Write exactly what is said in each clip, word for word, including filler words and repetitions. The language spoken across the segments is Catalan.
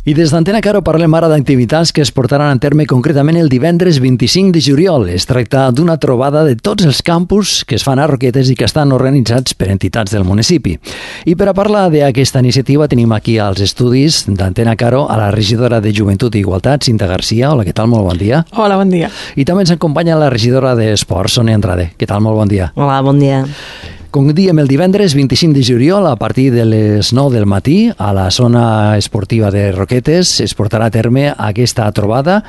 I des d'Antena Caro parlem ara d'activitats que es portaran a terme concretament el divendres vint-i-cinc de juliol. Es tracta d'una trobada de tots els campus que es fan a Roquetes i que estan organitzats per entitats del municipi. I per a parlar d'aquesta iniciativa tenim aquí als estudis d'Antena Caro a la regidora de Joventut i Igualtat, Cinta Garcia. Hola, què tal? Molt bon dia. Hola, bon dia. I també ens acompanya la regidora d'Esports, Sònia Andrade. Què tal? Molt bon dia. Hola, bon dia. Com diem, el divendres vint-i-cinc de juliol, a partir de les nou del matí, a la zona esportiva de Roquetes, es portarà a terme aquesta trobada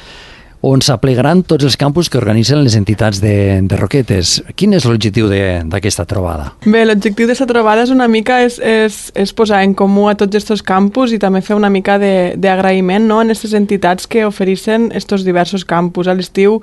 on s'aplegaran tots els campus que organitzen les entitats de, de Roquetes. Quin és l'objectiu d'aquesta trobada? Bé, l'objectiu d'aquesta trobada és una mica és, és, és posar en comú a tots aquests campus i també fer una mica d'agraïment, no?, en aquestes entitats que ofereixen aquests diversos campus. A l'estiu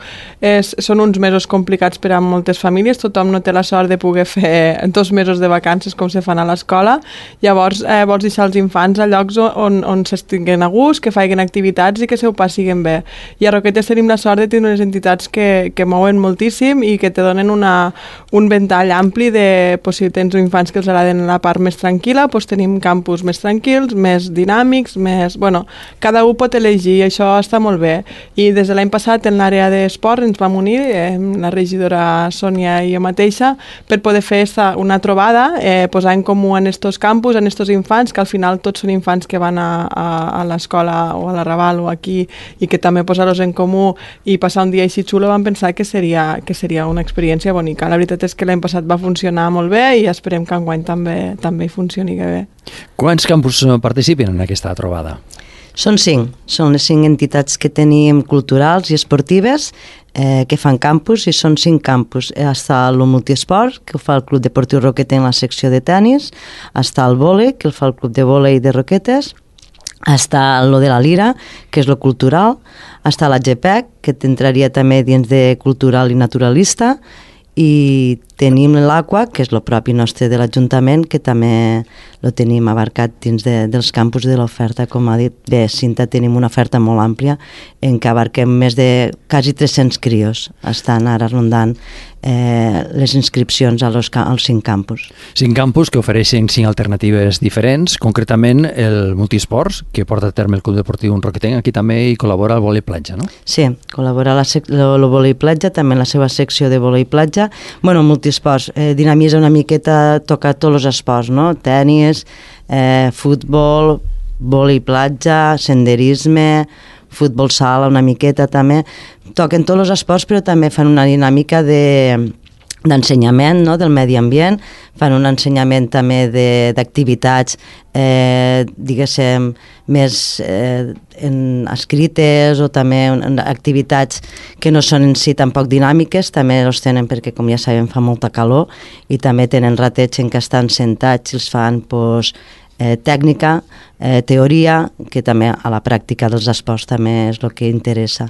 són uns mesos complicats per a moltes famílies, tothom no té la sort de poder fer dos mesos de vacances com se fan a l'escola, llavors eh, vols deixar els infants a llocs on, on s'estiguen a gust, que facin activitats i que se ho passin bé. I a Roquetes tenim la sort de tenir unes entitats que, que mouen moltíssim i que te donen una, un ventall ampli de, pues, si tens infants que els agraden la part més tranquil·la, pues, tenim campus més tranquils, més dinàmics, més... Bueno, cada un pot elegir i això està molt bé. I des de l'any passat en l'àrea d'esport ens vam unir, eh, la regidora Sònia i jo mateixa, per poder fer esta, una trobada, eh, posar en comú en estos campus, en estos infants, que al final tots són infants que van a, a, a l'escola o a la Raval o aquí i que també posar-los en comú i passar un dia així xulo, vam pensar que seria, que seria una experiència bonica. La veritat és que l'any passat va funcionar molt bé i esperem que enguany també, també funcioni bé. Quants campus participen en aquesta trobada? Són cinc. Són les cinc entitats que tenim culturals i esportives eh, que fan campus, i són cinc campus. Està el multiesport, que ho fa el Club Deportiu Roquetes en la secció de tenis, està el vòlei, que el fa el Club de Vòlei de Roquetes, està lo de la Lira, que és lo cultural, està la G P E C, que t'entraria també dins de cultural i naturalista, i tenim l'Aqua, que és el propi nostre de l'Ajuntament, que també lo tenim abarcat dins de, dels campus de l'oferta. Com ha dit bé Cinta, tenim una oferta molt àmplia en què abarquem més de quasi tres-cents crios. Estan ara rondant eh, les inscripcions a los, als cinc campus. Cinc campus que ofereixen cinc alternatives diferents, concretament el multisports, que porta a terme el Club Deportiu Roquetenc, aquí també hi col·labora el vòlei platja, no? Sí, col·labora el vòlei platja, també en la seva secció de vòlei platja. Bueno, multisports, eh, dinamitza una miqueta, toca tots els esports, no? Tenis, eh, futbol, vòlei platja, senderisme, futbol sala una miqueta també. Toquen tots els esports, però també fan una dinàmica de d'ensenyament, no?, del medi ambient, fan un ensenyament també d'activitats, eh, diguéssim, més eh, en escrites, o també en activitats que no són en si tampoc dinàmiques, també els tenen perquè, com ja sabem, fa molta calor, i també tenen ratets en què estan sentats i els fan, doncs, Eh, tècnica, eh, teoria, que també a la pràctica dels esports també és el que interessa.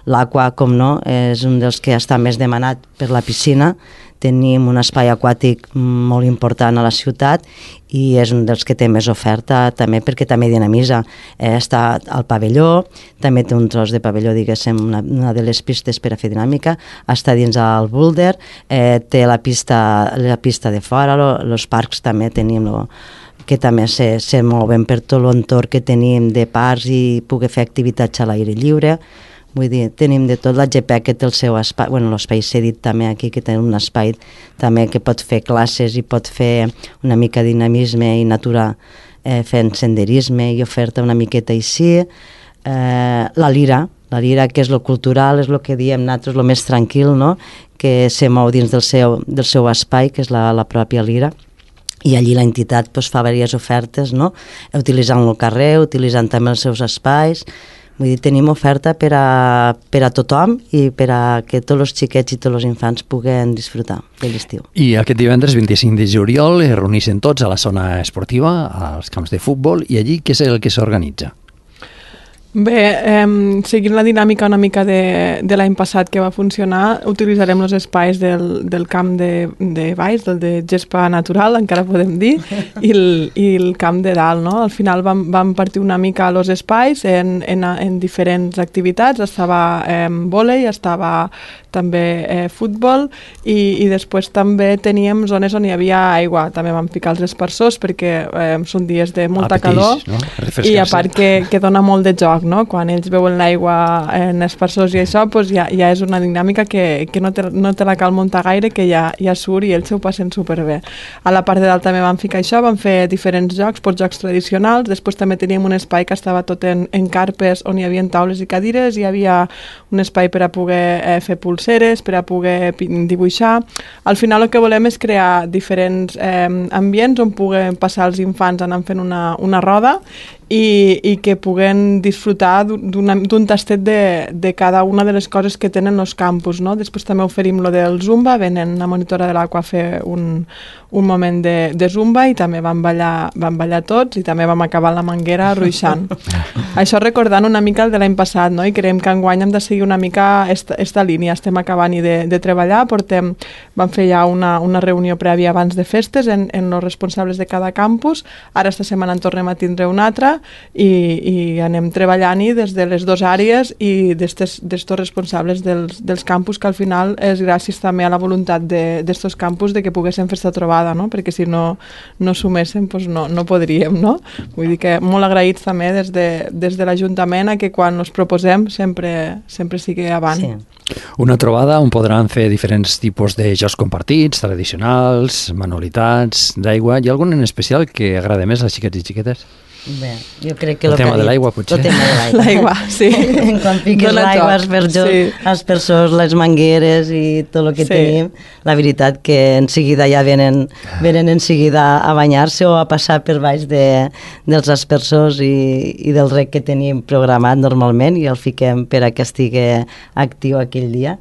L'Aqua, com no, és un dels que està més demanat per la piscina. Tenim un espai aquàtic molt important a la ciutat i és un dels que té més oferta, també perquè també dinamitza. Eh, està al pavelló, també té un tros de pavelló, diguéssim, una, una de les pistes per a fer dinàmica, està dins el boulder, eh, té la pista, la pista de fora, els parcs també tenim lo, que també se, se mouen per tot l'entorn que tenim de parcs i poder fer activitats a l'aire lliure. Vull dir, tenim de tot. La G P E que té el seu espai, bueno, l'espai cedit també aquí, que té un espai també que pot fer classes i pot fer una mica de dinamisme i natura, eh, fent senderisme i oferta una miqueta així. Eh, la Lira, la Lira, que és lo cultural, és el que diem nosaltres, el més tranquil, no?, que se mou dins del seu, del seu espai, que és la, la pròpia Lira. I allí l'entitat doncs, fa diverses ofertes, no?, utilitzant el carrer, utilitzant també els seus espais. Vull dir, tenim oferta per a, per a tothom i per a que tots els xiquets i tots els infants puguen disfrutar de l'estiu. I aquest divendres vint-i-cinc de juliol es reuneixen tots a la zona esportiva, als camps de futbol, i allí què és el que s'organitza? Bé, eh, seguint la dinàmica una mica de, de l'any passat que va funcionar, utilitzarem els espais del, del camp de, de baix, del de gespa natural, encara podem dir, i el, i el camp de dalt, no? Al final vam, vam partir una mica els espais en, en, en diferents activitats, estava eh, vòlei, estava també eh, futbol i, i després també teníem zones on hi havia aigua, també vam ficar els esparçors perquè eh, són dies de molta Apetís, calor, no? I a part que, que dona molt de joc, no? Quan ells veuen l'aigua en esparçors i això, doncs ja, ja és una dinàmica que, que no, te, no te la cal muntar gaire, que ja, ja surt i ells s'ho passen superbé. A la part de dalt també vam ficar això, vam fer diferents jocs, doncs jocs tradicionals, després també teníem un espai que estava tot en, en carpes on hi havia taules i cadires, hi havia un espai per a poder eh, fer pulseres, per a poder dibuixar. Al final el que volem és crear diferents eh, ambients on puguen passar els infants anant fent una, una roda i, i que puguen disfrutar d'un tastet de, de cada una de les coses que tenen els campus, no? Després també oferim lo del Zumba, venen la monitora de l'Aqua a fer un, un moment de, de Zumba i també vam ballar, vam ballar tots i també vam acabar la manguera ruixant. Això recordant una mica el de l'any passat, no? I creiem que enguany hem de seguir una mica esta, esta línia, estem acabant i de, de treballar, portem, vam fer ja una, una reunió prèvia abans de festes en, en els responsables de cada campus, ara esta setmana en tornem a tindre una altra i, i anem treballant-hi des de les dues àrees i d'estos responsables dels, dels campus, que al final és gràcies també a la voluntat d'estos de, campus de que poguéssim fer esta trobada, no? Perquè si no, no suméssim doncs no, no podríem, no? Vull dir que molt agraïts també des de, des de l'Ajuntament a que quan ens proposem sempre, sempre sigui avant. Sí. Una trobada on podran fer diferents tipus de jocs compartits, tradicionals, manualitats, d'aigua. Hi ha algun en especial que agrada més als xiquets i xiquetes? Bé, jo crec que el tema de l'aigua, potser. El tema de l'aigua. L'aigua, sí. Quan fiques l'aigua, els perjors, sí. els perjors, les mangueres i tot el que sí. tenim, la veritat que en seguida ja venen, venen en seguida a banyar-se o a passar per baix de, dels aspersors i, i del rec que tenim programat normalment i el fiquem per a que estigui actiu aquell dia.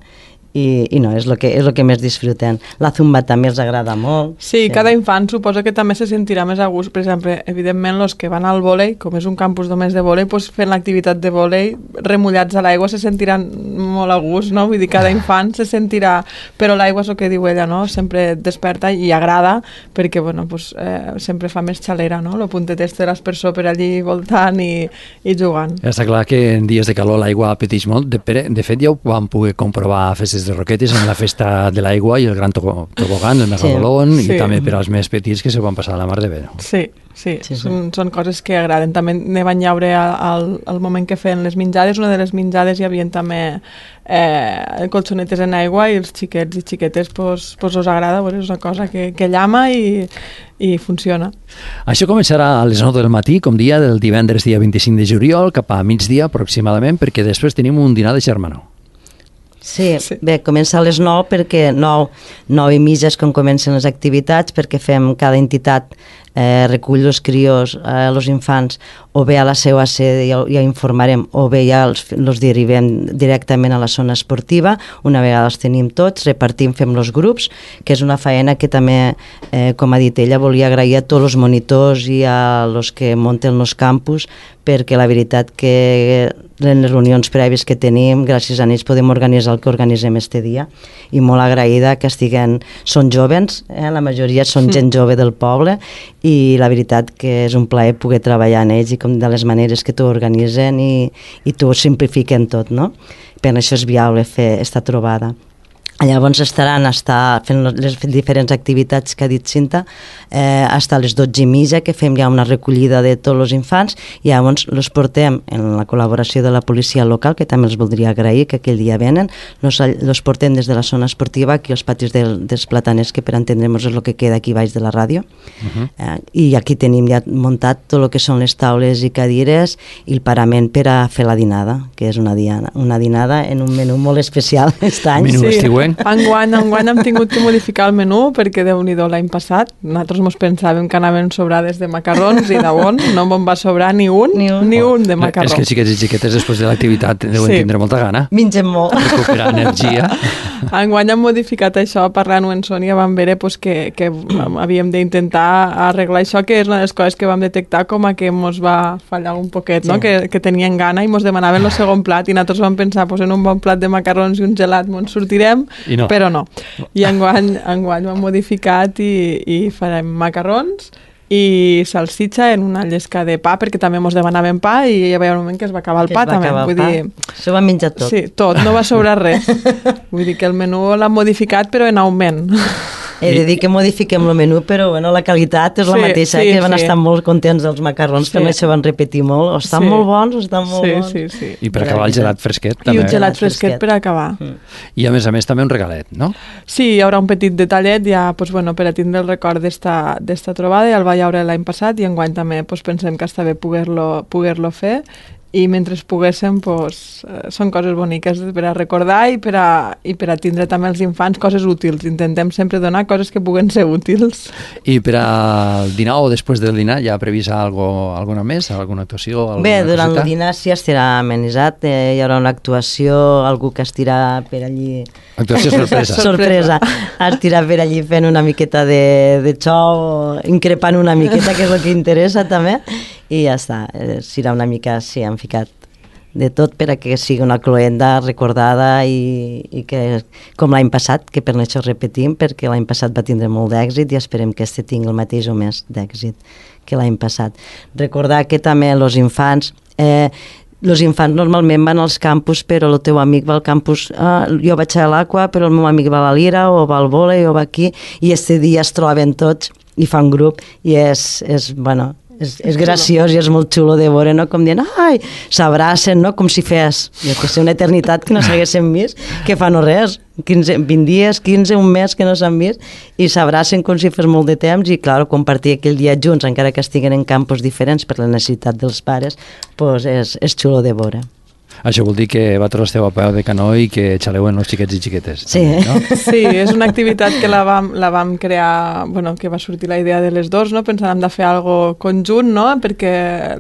I, i no, és el que, és el que més disfrutem. La zumba també els agrada molt. Sí, sí, cada infant suposa que també se sentirà més a gust. Per exemple, evidentment, els que van al vòlei, com és un campus només de vòlei, doncs fent l'activitat de vòlei, remullats a l'aigua, se sentiran molt a gust, no? Vull dir, cada infant se sentirà... Però l'aigua és el que diu ella, no? Sempre desperta i agrada, perquè, bueno, pues, eh, sempre fa més xalera, no? Lo puntet este de l'aspersor per allí voltant i, i jugant. Està clar que en dies de calor l'aigua apeteix molt. De, de fet, ja ho vam poder comprovar a festes de roquetes en la festa de l'aigua i el gran tobogán, el megalodon, sí. i sí. també per als més petits que se van passar a la mar de bé. Sí, sí, sí, sí. Són, són coses que agraden. També ne van llaure al, al moment que feien les menjades. Una de les menjades hi havia també eh, colxonetes en aigua i els xiquets i xiquetes pues, pues us agrada, pues és una cosa que, que llama i, i funciona. Això començarà a les nou del matí, com dia del divendres dia vint-i-cinc de juliol, cap a migdia aproximadament, perquè després tenim un dinar de germanor. Sí, sí, bé, comença a les nou perquè nou, nou i mitja és quan comencen les activitats, perquè fem cada entitat eh, recull els crios, eh, els infants, o bé a la seva sede ja, ja informarem, o bé ja els, els derivem directament a la zona esportiva. Una vegada els tenim tots, repartim, fem els grups, que és una feina que també, eh, com ha dit ella, volia agrair a tots els monitors i a els que munten els campus, perquè la veritat que en les reunions prèvies que tenim, gràcies a ells podem organitzar el que organitzem este dia, i molt agraïda que estiguen, són jovens, eh? La majoria són gent jove del poble, i la veritat que és un plaer poder treballar en ells i com de les maneres que t'ho organitzen i, i t'ho simplifiquen tot, no? Per això és viable fer esta trobada. Llavors estaran estar fent les diferents activitats que ha dit Cinta, eh, fins a les dotze i mitja, que fem ja una recollida de tots els infants, i llavors els portem en la col·laboració de la policia local, que també els voldria agrair, que aquell dia venen, els, els portem des de la zona esportiva aquí als patis del, dels plataners, que per entendre'ns és el que queda aquí baix de la ràdio. Uh-huh. eh, i aquí tenim ja muntat tot el que són les taules i cadires i el parament per a fer la dinada, que és una, diana, una dinada en un menú molt especial aquest any. Menú sí. estiuenc. enguany? Enguany, enguany hem tingut que modificar el menú perquè Déu-n'hi-do l'any passat. Nosaltres mos pensàvem que anaven sobrades de macarrons i de bon, no em va sobrar ni un, ni un, ni un de macarró. És que xiquets i xiquetes després de l'activitat deuen Sí. tindre molta gana. Mengem molt. Recuperar energia. Enguany hem modificat això, parlant-ho en Sònia, vam veure pues, que, que havíem d'intentar arreglar això, que és una de les coses que vam detectar com a que mos va fallar un poquet, no? Sí. que, que tenien gana i mos demanaven el segon plat i nosaltres vam pensar pues, en un bon plat de macarrons i un gelat mos en sortirem, I no. però no. I enguany, enguany ho hem modificat i, i farem macarrons i salsitxa en una llesca de pa, perquè també mos demanaven pa i hi havia un moment que es va acabar el Que pa es va també. acabar el Vull pa. dir, Això ho han menjat tot. sí, tot, no va sobrar res. Vull dir que el menú l'han modificat però en augment. He de dir que modifiquem el menú, però bueno, la qualitat és la Sí, mateixa, sí, que van sí. estar molt contents dels macarrons, que Sí. no se van repetir molt, o estan Sí. molt bons o estan molt Sí, bons. sí, sí. I per De acabar el veritat. gelat fresquet I també. un gelat Gelat fresquet fresquet. per acabar. I a més a més també un regalet, no? Sí, hi haurà un petit detallet ja pues, bueno, per a tindre el record d'esta d'esta trobada, ja el vaig veure l'any passat i enguany també pues, pensem que està bé poder-lo poder-lo fer i mentre poguéssim pues, eh, són coses boniques per a recordar i per a, i per a tindre també els infants coses útils. Intentem sempre donar coses que puguen ser útils. I per al dinar o després del dinar ja ha previst algo, alguna més, alguna actuació, alguna Bé, durant coseta? el dinar sí estarà amenitzat, eh, hi haurà una actuació, algú que estirà per allí... Actuació sorpresa. Sorpresa. Estirà per allí fent una miqueta de, de xou, increpant una miqueta, que és el que interessa també, i ja està. Eh, serà una mica, sí, han ficat de tot per a que sigui una cloenda recordada i, i que, com l'any passat, que per això repetim, perquè l'any passat va tindre molt d'èxit i esperem que este tingui el mateix o més d'èxit que l'any passat. Recordar que també els infants... Eh, els infants normalment van als campus, però el teu amic va al campus, ah, jo vaig a l'Aqua, però el meu amic va a la Lira, o va al vòlei, o va aquí, i este dia es troben tots i fan grup, i és, és bueno, és, és graciós i és molt xulo de veure, no? Com dient, ai, s'abracen, no? Com si fes, jo que sé, una eternitat que no s'haguessin vist, que fa no res, quinze, vint dies, quinze, un mes que no s'han vist, i s'abracen com si fes molt de temps, i clar, compartir aquell dia junts, encara que estiguen en campus diferents per la necessitat dels pares, pues és, és xulo de veure. Això vol dir que vosaltres esteu a peu de canó i que xaleu en els xiquets i xiquetes. Sí. També, no? Sí, és una activitat que la vam, la vam crear, bueno, que va sortir la idea de les dos, no? Pensàvem de fer algo conjunt, no? Perquè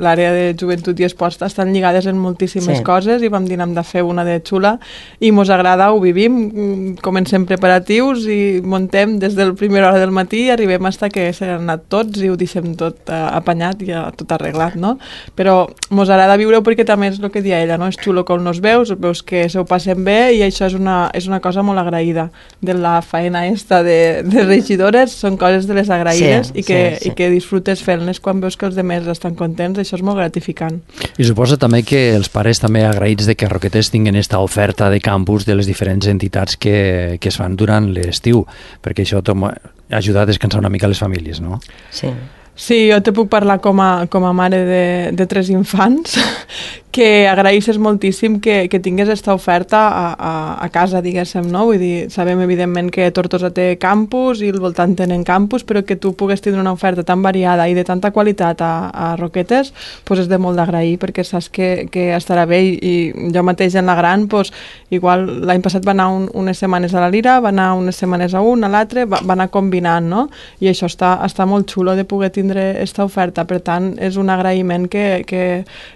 l'àrea de joventut i esport estan lligades en moltíssimes Sí. coses i vam dir hem de fer una de xula i mos agrada, ho vivim, comencem preparatius i montem des del primera hora del matí i arribem fins que s'han anat tots i ho deixem tot eh, apanyat i ja tot arreglat, no? Però mos agrada viure-ho perquè també és el que dia ella, no? És xulo com nos veus, veus que se ho passen bé i això és una, és una cosa molt agraïda de la faena esta de, de regidores, són coses de les agraïdes Sí, i, que, sí, sí. i que disfrutes fent-les quan veus que els demés estan contents, això és molt gratificant. I suposo també que els pares també agraïts de que Roquetes tinguin esta oferta de campus de les diferents entitats que, que es fan durant l'estiu, perquè això tom- ajuda a descansar una mica les famílies, no? Sí. Sí, jo te puc parlar com a, com a mare de, de tres infants que agraïsses moltíssim que, que tingués aquesta oferta a, a, a casa, diguéssim, no? Vull dir, sabem evidentment que Tortosa té campus i al voltant tenen campus, però que tu pugues tindre una oferta tan variada i de tanta qualitat a, a Roquetes, pues és de molt d'agrair, perquè saps que, que estarà bé i, i jo mateix en la gran, pues, igual l'any passat va anar un, unes setmanes a la Lira, va anar unes setmanes a un, a l'altre, va, va anar combinant, no? I això està, està molt xulo de poder tindre aquesta oferta, per tant, és un agraïment que, que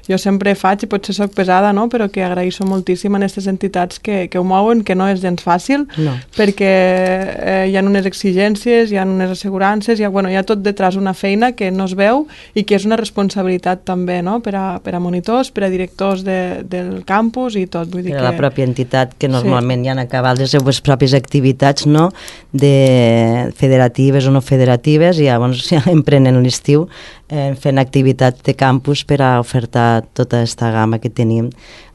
jo sempre faig i potser soc pesada, no? Però que agraïsso moltíssim a aquestes entitats que, que ho mouen, que no és gens fàcil, No. perquè eh, hi ha unes exigències, hi ha unes assegurances, hi ha, bueno, hi ha tot detrás una feina que no es veu i que és una responsabilitat també, no? Per a, per a monitors, per a directors de, del campus i tot. Vull dir Per que... a la pròpia entitat, que normalment Sí. ja han acabat les seues pròpies activitats, no?, de federatives o no federatives, i llavors ja emprenen l'estiu eh, fent activitats de campus per a ofertar tota aquesta gamma que tenim.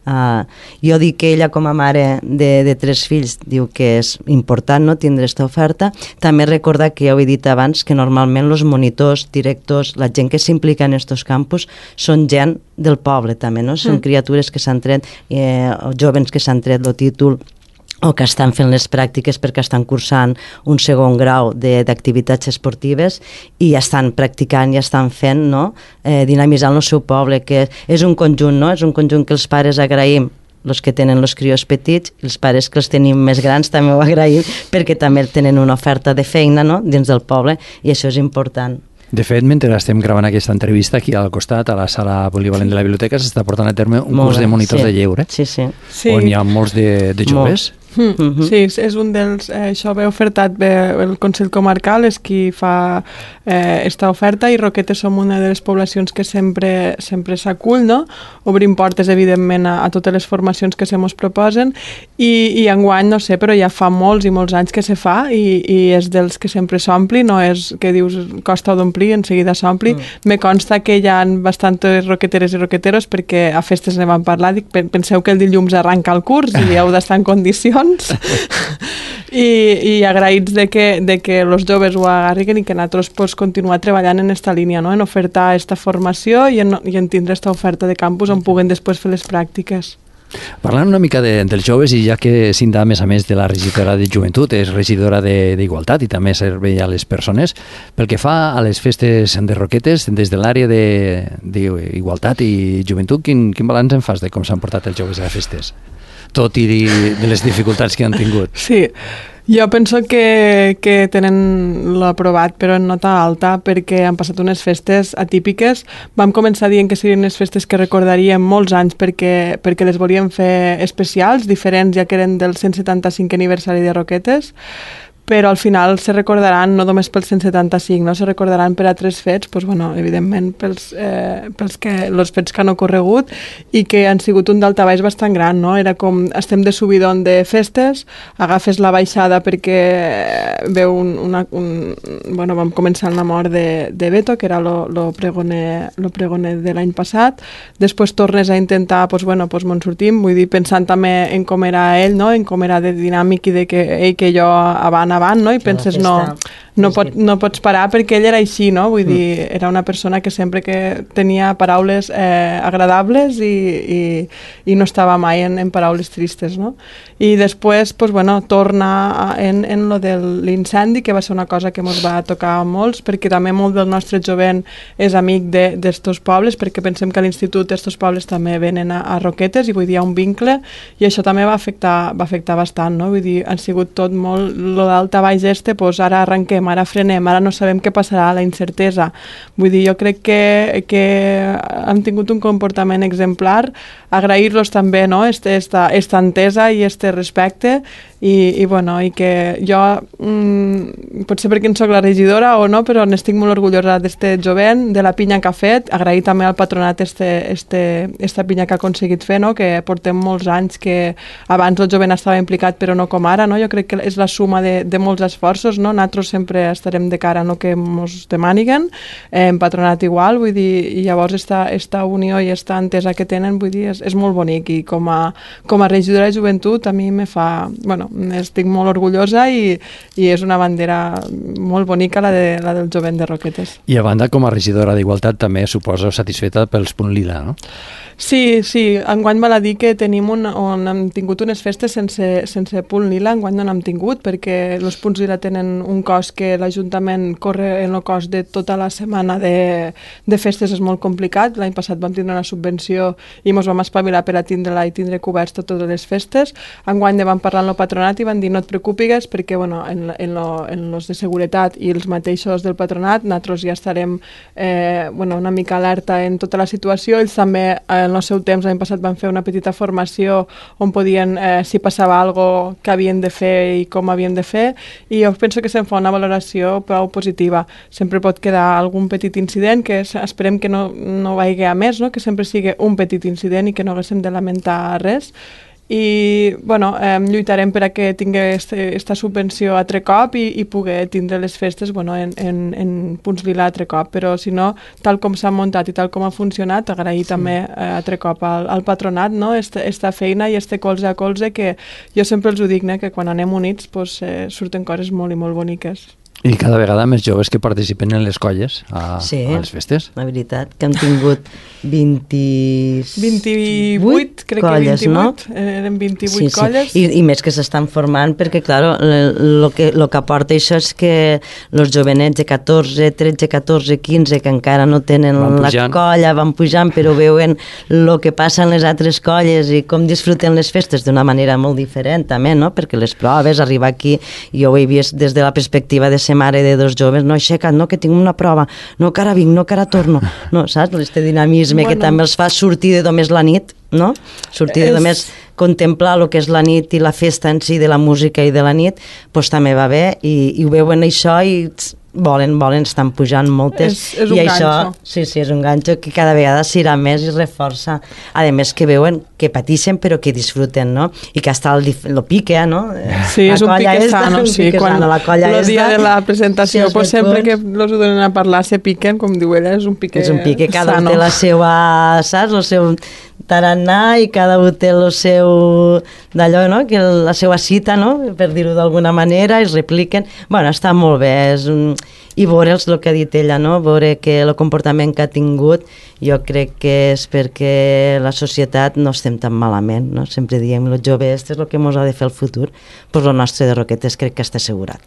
Uh, jo dic que ella, com a mare de, de tres fills, diu que és important, no?, tindre aquesta oferta. També recordar que ja ho he dit abans, que normalment els monitors, directors, la gent que s'implica en aquests campus són gent del poble també, no? Són Mm. criatures que s'han tret, eh, o jóvens que s'han tret el títol o que estan fent les pràctiques perquè estan cursant un segon grau de- d'activitats esportives i ja estan practicant, ja estan fent, no?, eh, dinamitzant el seu poble, que és un conjunt, no?, és un conjunt que els pares agraïm els que tenen els crios petits, els pares que els tenim més grans també ho agraïm, perquè també tenen una oferta de feina, no?, dins del poble, i això és important. De fet, mentre estem gravant aquesta entrevista, aquí al costat, a la sala polivalent de la biblioteca, s'està portant a terme un Molt curs de monitors sí. de lleure, sí, sí. Sí. on hi ha molts de, de joves. Mm. Mm-hmm. Sí, és un dels... Eh, això ve ofertat bé, el Consell Comarcal, és qui fa eh, esta oferta, i Roquetes som una de les poblacions que sempre sempre s'acull, no? Obrim portes, evidentment, a, a totes les formacions que se mos proposen, i, i enguany, no sé, però ja fa molts i molts anys que se fa, i, i és dels que sempre s'ompli, no és que dius costa d'omplir, en seguida s'ompli. Mm. Me consta que hi ha bastantes roqueteres i roqueteros, perquè a festes ne vam parlar, dic, penseu que el dilluns arranca el curs i heu d'estar en condicions. I, i agraïts de que, de que els joves ho agarriguen i que nosaltres pues, continuar treballant en esta línia, no? En ofertar esta formació i en, i en tindre esta oferta de campus on puguen després fer les pràctiques. Parlant una mica de, dels joves, i ja que Cinta, a més a més de la regidora de joventut, és regidora d'Igualtat i també servei a les persones, pel que fa a les festes de Roquetes, des de l'àrea d'Igualtat i joventut, quin, quin balanç en fas de com s'han portat els joves a les festes? Tot i de les dificultats que han tingut. Sí, jo penso que, que tenen l'aprovat, però en nota alta, perquè han passat unes festes atípiques. Vam començar dient que serien unes festes que recordaríem molts anys perquè, perquè les volíem fer especials, diferents, ja que eren del cent setanta-cinquè aniversari de Roquetes, però al final se recordaran no només pels cent setanta-cinc, no? Se recordaran per altres fets, doncs, bueno, evidentment pels, eh, pels que, els fets que han ocorregut i que han sigut un daltabaix bastant gran, no? Era com, estem de subidon de festes, agafes la baixada perquè veu un, una... Un, bueno, vam començar amb la mort de, de Beto, que era lo, lo, pregoner, lo pregoner de l'any passat, després tornes a intentar, doncs, bueno, doncs me'n sortim, vull dir, pensant també en com era ell, no? En com era de dinàmic i de que ell que jo avant avant, no? I penses, no, no, pot, no pots parar perquè ell era així, no? Vull dir, era una persona que sempre que tenia paraules eh, agradables i, i, i no estava mai en, en paraules tristes, no? I després, pues, bueno, torna en, en lo de l'incendi, que va ser una cosa que ens va tocar a molts, perquè també molt del nostre jovent és amic d'estos pobles, perquè pensem que a l'institut estos pobles també venen a, a Roquetes, i vull dir, hi ha un vincle, i això també va afectar, va afectar bastant, no? Vull dir, han sigut tot molt, lo d'alta baix este, pues ara arrenquem, ara frenem, ara no sabem què passarà, la incertesa. Vull dir, jo crec que, que han tingut un comportament exemplar, agrair-los també, no?, este, esta, esta entesa i este respecte, i, i bueno, i que jo, mmm, potser perquè en soc la regidora o no, però n'estic molt orgullosa d'este jovent, de la pinya que ha fet, agrair també al patronat este, este, esta pinya que ha aconseguit fer, no?, que portem molts anys, que abans el jovent estava implicat però no com ara, no?, jo crec que és la suma de, de molts esforços, no?, nosaltres sempre estarem de cara a no que ens demaniguen, eh, en patronat igual, vull dir, i llavors esta, esta unió i esta entesa que tenen, vull dir, és, és molt bonic, i com a, com a regidora de joventut a mi me fa, bueno, estic molt orgullosa i, i és una bandera molt bonica la, de, la del jovent de Roquetes. I a banda, com a regidora d'Igualtat, també suposo satisfeta pels Punt Lila, no? Sí, sí, enguany val a dir que tenim un, on hem tingut unes festes sense, sense punt lila, enguany no n'hem tingut, perquè els punts lila tenen un cost que l'Ajuntament corre en el cost de tota la setmana de, de festes, és molt complicat. L'any passat vam tindre una subvenció i ens vam espavilar per a tindre-la i tindre coberts totes les festes. Enguany ne vam parlar amb el patronat i van dir no et preocupigues perquè bueno, en, en, lo, en los de seguretat i els mateixos del patronat nosaltres ja estarem eh, bueno, una mica alerta en tota la situació. Ells també eh, en el seu temps, l'any passat, van fer una petita formació on podien, eh, si passava alguna cosa que havien de fer i com havien de fer, i jo penso que se'n fa una valoració prou positiva. Sempre pot quedar algun petit incident que esperem que no, no vagi a més, no? Que sempre sigui un petit incident i que no haguéssim de lamentar res. I bueno, eh, lluitarem per a que tingui aquesta subvenció altre cop i, i poder tindre les festes bueno, en, en, en punts lila altre cop, però si no, tal com s'ha muntat i tal com ha funcionat, agrair sí. també eh, altre cop al, al patronat, no? Esta, esta feina i este colze a colze que jo sempre els ho dic, né? Que quan anem units pues, eh, surten coses molt i molt boniques. I cada vegada més joves que participen en les colles a, sí, a les festes. La veritat, que hem tingut vint... vint-i-vuit, crec colles, que vint-i-vuit, no? Eren vint-i-vuit sí, sí. colles. I, I més que s'estan formant, perquè, clar, el que, lo que aporta això és que els jovenets de catorze, tretze, catorze, quinze, que encara no tenen la colla, van pujant, però veuen el que passa en les altres colles i com disfruten les festes d'una manera molt diferent, també, no? Perquè les proves, arribar aquí, jo ho he vist des de la perspectiva de ser mare de dos joves, no, aixeca't, no, que tinc una prova, no, que ara vinc, no, que ara torno, no, saps? Este dinamisme bueno. que també els fa sortir de només la nit, no? Sortir de només és... contemplar el que és la nit i la festa en si de la música i de la nit, doncs també va bé, i, i ho veuen això i volen, volen, estan pujant moltes. És, és un i això, ganxo. Sí, sí, és un ganxo que cada vegada s'irà més i reforça. A més que veuen que pateixen però que disfruten, no? I que hasta el, el pique, no? Sí, la és un pique sano, un sí. Pique Quan sano, la colla el dia de la presentació, sí, pues sempre que els ho donen a parlar se piquen, com diu ella, és un pique sano. És un pique, cada sano. un té la seva, saps? El seu tarannà i cada un té el seu d'allò, no? Que la seva cita, no? Per dir-ho d'alguna manera, es repliquen. Bueno, està molt bé, és un... i veure'ls el que ha dit ella, no? Veure que el comportament que ha tingut jo crec que és perquè la societat no estem tan malament, no? Sempre diem, els joves, és el que ens ha de fer el futur, doncs el nostre de Roquetes crec que està assegurat.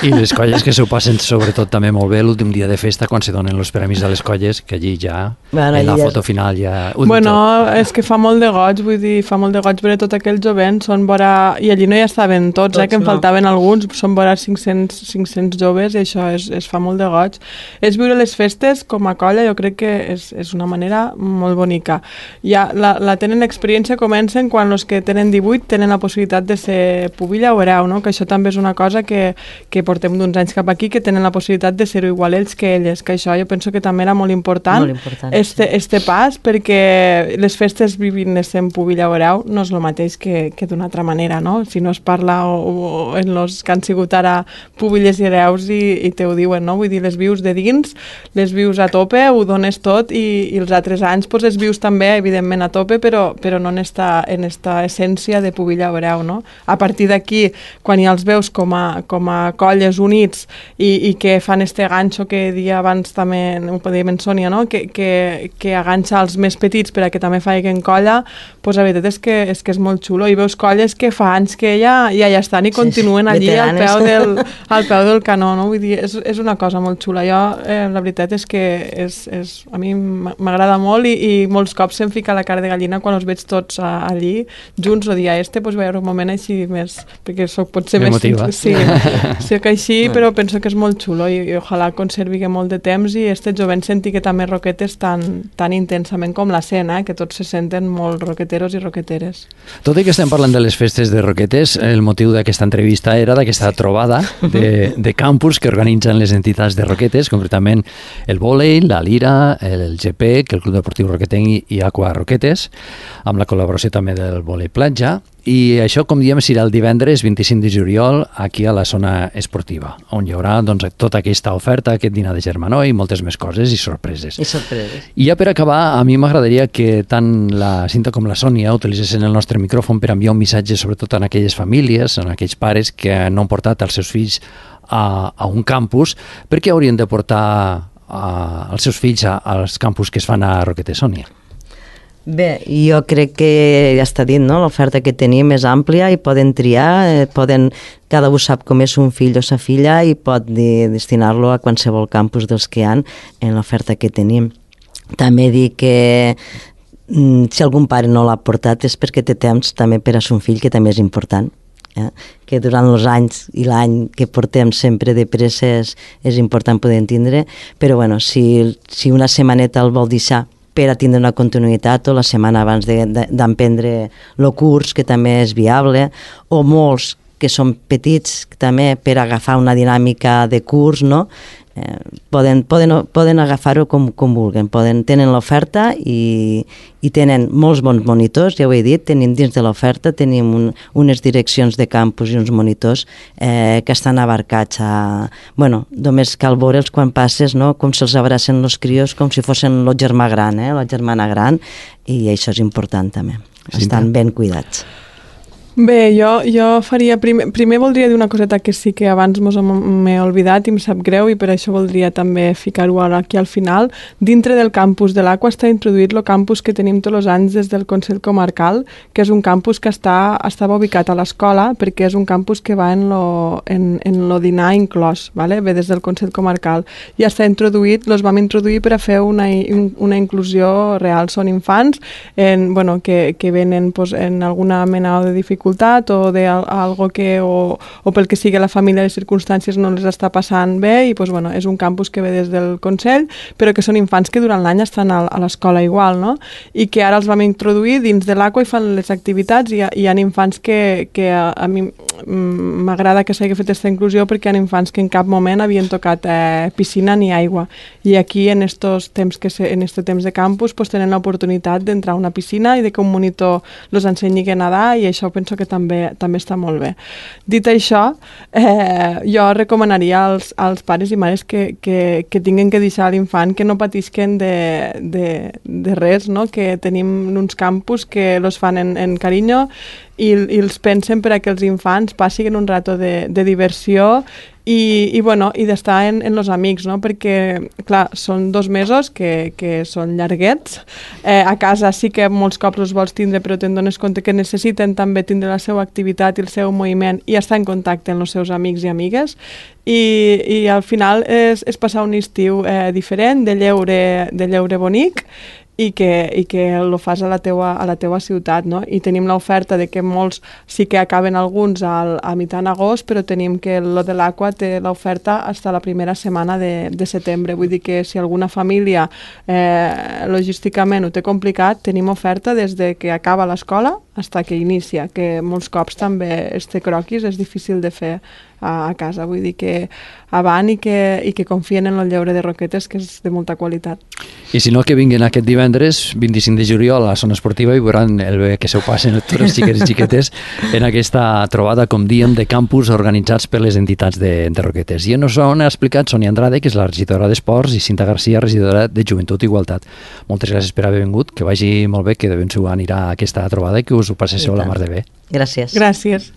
I les colles que s'ho passen sobretot també molt bé l'últim dia de festa quan se donen els permís a les colles, que allí ja, bueno, en la ja foto és... final ja... Bueno, és que fa molt de goig, vull dir, fa molt de goig veure tot aquells jovents, són vora... i allí no hi estaven tots, tots eh, que en no. faltaven alguns, són vora cinc-cents, cinc-cents joves, i això és, és fa molt de goig. És viure les festes com a colla, jo crec que és, és una manera molt bonica. Ja la, la tenen experiència, comencen quan els que tenen divuit tenen la possibilitat de ser pubilla o hereu, no? Que això també és una cosa que, que portem d'uns anys cap aquí, que tenen la possibilitat de ser-ho igual ells que elles, que això jo penso que també era molt important, molt important este, sí. este pas, perquè les festes vivint sent pubilla o hereu no és el mateix que, que d'una altra manera, no? Si no es parla o, o en els que han sigut ara pubilles i hereus i, i te ho diuen, no? Vull dir, les vius de dins, les vius a tope, ho dones tot i, i els altres anys pues, les vius també, evidentment, a tope, però, però no en esta, en esta essència de pubilla o hereu, no? A partir d'aquí, quan ja els veus com a, com a colles units i, i que fan este ganxo que dia abans també, ho podíem en Sònia, no? Que, que, que aganxa els més petits per a que també faiguen colla, pues, la veritat és que, és que és molt xulo. I veus colles que fa anys que ja, ja, ja estan i continuen sí, allí al peu, del, al peu del canó, no? Vull dir, és, és una cosa molt xula. Jo, eh, la veritat és que és, és, a mi m'agrada molt i, i molts cops se'm fica la cara de gallina quan els veig tots a, allí, junts, o dia este, doncs veure un moment així més, perquè soc potser més... Emotiva. Sí, sí que així, però penso que és molt xulo i, i ojalà conservi molt de temps i este jovent senti que també Roquetes tan, tan intensament com la escena, eh, que tots se senten molt roqueteros i roqueteres. Tot i que estem parlant de les festes de Roquetes, el motiu d'aquesta entrevista era d'aquesta trobada de, de campus que organitzen les entitats de Roquetes, concretament el vòlei, la lira, el G P, que el Club Deportiu Roquetenc i Aqua Roquetes, amb la col·laboració també del vòlei platja, i això, com diem, serà el divendres vint-i-cinc de juliol aquí a la zona esportiva, on hi haurà doncs, tota aquesta oferta, aquest dinar de germanor i moltes més coses i sorpreses. I sorpreses. I ja per acabar, a mi m'agradaria que tant la Cinta com la Sònia utilitzessin el nostre micròfon per enviar un missatge sobretot a aquelles famílies, a aquells pares que no han portat els seus fills a, a un campus, perquè haurien de portar a, els seus fills a, als campus que es fan a Roquetes, Sònia. Bé, jo crec que ja està dit, no? L'oferta que tenim és àmplia i poden triar, eh, poden, cada un sap com és un fill o sa filla i pot de, destinar-lo a qualsevol campus dels que hi ha en l'oferta que tenim. També dir que mm, si algun pare no l'ha portat és perquè té temps també per a son fill, que també és important. Eh? Que durant els anys i l'any que portem sempre de pressa és, és important poder entendre, però bueno, si, si una setmaneta el vol deixar per a tindre una continuïtat o la setmana abans d'emprendre el curs, que també és viable, o molts que són petits també per agafar una dinàmica de curs, no? Eh, poden, poden, poden agafar-ho com, com vulguin, poden, tenen l'oferta i, i tenen molts bons monitors, ja ho he dit, tenim dins de l'oferta, tenim un, unes direccions de campus i uns monitors eh, que estan abarcats a... Bueno, només cal veure'ls quan passes, no? Com se'ls abracen els crios, com si fossin el germà gran, eh? La germana gran, i això és important també, estan ben cuidats. Bé, jo, jo faria... Primer, primer voldria dir una coseta que sí que abans mos m'he oblidat i em sap greu i per això voldria també ficar-ho ara aquí al final. Dintre del campus de l'Aqua està introduït el campus que tenim tots els anys des del Consell Comarcal, que és un campus que està, estava ubicat a l'escola perquè és un campus que va en lo, en, en lo dinar inclòs, ¿vale? Ve des del Consell Comarcal. I està introduït, els vam introduir per a fer una, una inclusió real. Són infants en, bueno, que, que venen pues, en alguna mena de dificultat o de algo que o, o pel que sigui la família, les circumstàncies no les està passant bé i pues, bueno, és un campus que ve des del Consell, però que són infants que durant l'any estan a, a l'escola igual, no? I que ara els vam introduir dins de l'Aqua i fan les activitats i hi ha, hi ha infants que, que a, a mi m'agrada que s'hagi fet aquesta inclusió perquè hi ha infants que en cap moment havien tocat eh, piscina ni aigua i aquí en estos temps que se, en este temps de campus pues, tenen l'oportunitat d'entrar a una piscina i de que un monitor els ensenyi a nedar i això penso que també, també està molt bé. Dit això, eh, jo recomanaria als, als pares i mares que, que, que tinguin que deixar l'infant que no patisquen de, de, de res, no? Que tenim uns campus que els fan en, en carinyo i, i els pensen per a que els infants passin un rato de, de diversió i, i, bueno, i d'estar en, en els amics, no? Perquè, clar, són dos mesos que, que són llarguets. Eh, a casa sí que molts cops els vols tindre, però te'n dones compte que necessiten també tindre la seva activitat i el seu moviment i estar en contacte amb els seus amics i amigues. I, i al final és, és passar un estiu eh, diferent, de lleure, de lleure bonic, i que, i que lo fas a la teua, a la teua ciutat, no? I tenim l'oferta de que molts sí que acaben alguns al, a mitjà d'agost, però tenim que lo de l'Aqua té l'oferta fins a la primera setmana de, de setembre. Vull dir que si alguna família eh, logísticament ho té complicat, tenim oferta des de que acaba l'escola fins que inicia, que molts cops també este croquis és difícil de fer a, a casa. Vull dir que avant i que, i que confien en el lleure de roquetes, que és de molta qualitat. I si no, que vinguin aquest divendres, vint-i-cinc de juliol, a la zona esportiva i veuran el bé que s'ho passen tots els xiquets i xiquetes en aquesta trobada, com diem, de campus organitzats per les entitats de, de Roquetes. I en això ha explicat Sònia Andrade, que és la regidora d'Esports, i Cinta Garcia, regidora de Joventut i Igualtat. Moltes gràcies per haver vingut, que vagi molt bé, que de ben segur anirà a aquesta trobada i que us ho passeu la mar de bé. Gràcies. Gràcies.